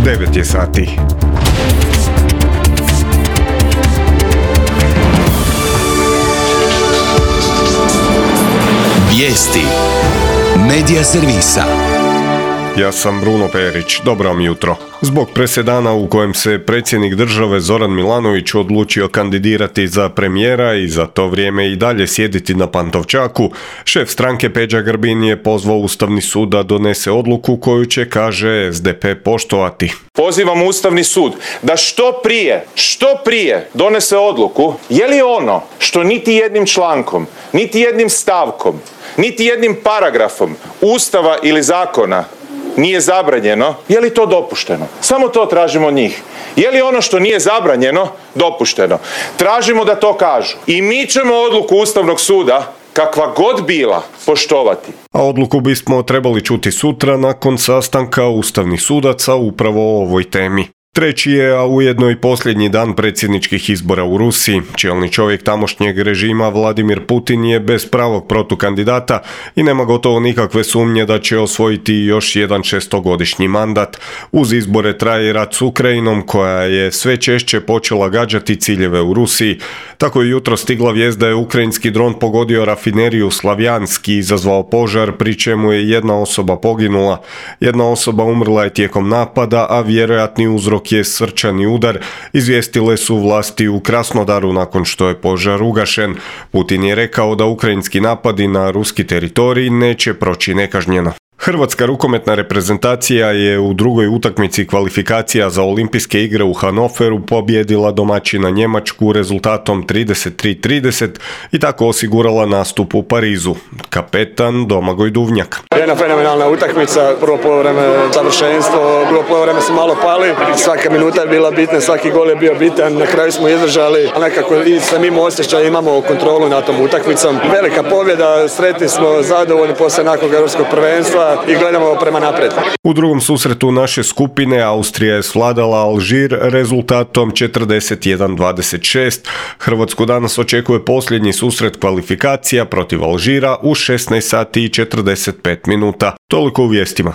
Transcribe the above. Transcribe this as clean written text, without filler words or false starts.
9 je sati. Vijesti Medija servisa. Ja sam Bruno Perić, dobro vam jutro. Zbog presedana u kojem se predsjednik države Zoran Milanović odlučio kandidirati za premijera i za to vrijeme i dalje sjediti na Pantovčaku, šef stranke Peđa Grbin je pozvao Ustavni sud da donese odluku koju će, kaže, SDP poštovati. Pozivam Ustavni sud da što prije donese odluku je li ono što niti jednim člankom, niti jednim stavkom, niti jednim paragrafom Ustava ili zakona nije zabranjeno, je li to dopušteno? Samo to tražimo od njih. Je li ono što nije zabranjeno dopušteno? Tražimo da to kažu. I mi ćemo odluku Ustavnog suda, kakva god bila, poštovati. A odluku bismo trebali čuti sutra nakon sastanka ustavnih sudaca upravo o ovoj temi. Treći je, a ujedno i posljednji dan predsjedničkih izbora u Rusiji. Čelni čovjek tamošnjeg režima Vladimir Putin je bez pravog protukandidata i nema gotovo nikakve sumnje da će osvojiti još jedan šestogodišnji mandat. Uz izbore traje rat s Ukrajinom koja je sve češće počela gađati ciljeve u Rusiji. Tako je jutro stigla vijest da je ukrajinski dron pogodio rafineriju Slavjanski i izazvao požar, pri čemu je jedna osoba poginula. Jedna osoba umrla je tijekom napada, a vjerojatni uzrok je srčani udar, izvijestile su vlasti u Krasnodaru nakon što je požar ugašen. Putin je rekao da ukrajinski napadi na ruski teritorij neće proći nekažnjeno. Hrvatska rukometna reprezentacija je u drugoj utakmici kvalifikacija za olimpijske igre u Hanoveru pobijedila domaćina Njemačku rezultatom 33-30 i tako osigurala nastup u Parizu. Kapetan Domagoj Duvnjak. Jedna fenomenalna utakmica, prvo poluvreme savršenstvo, drugo poluvreme smo malo pali, svaka minuta je bila bitna, svaki gol je bio bitan, na kraju smo izdržali, a nekako i sa mimo osjećaja imamo kontrolu nad tom utakmicom. Velika pobjeda, sretni smo, zadovoljni poslije nakon europskog prvenstva i gledamo prema naprijed. U drugom susretu naše skupine Austrija je svladala Alžir rezultatom 41-26. Hrvatsku danas očekuje posljednji susret kvalifikacija protiv Alžira u 16 sati i 45 minuta. Toliko u vijestima.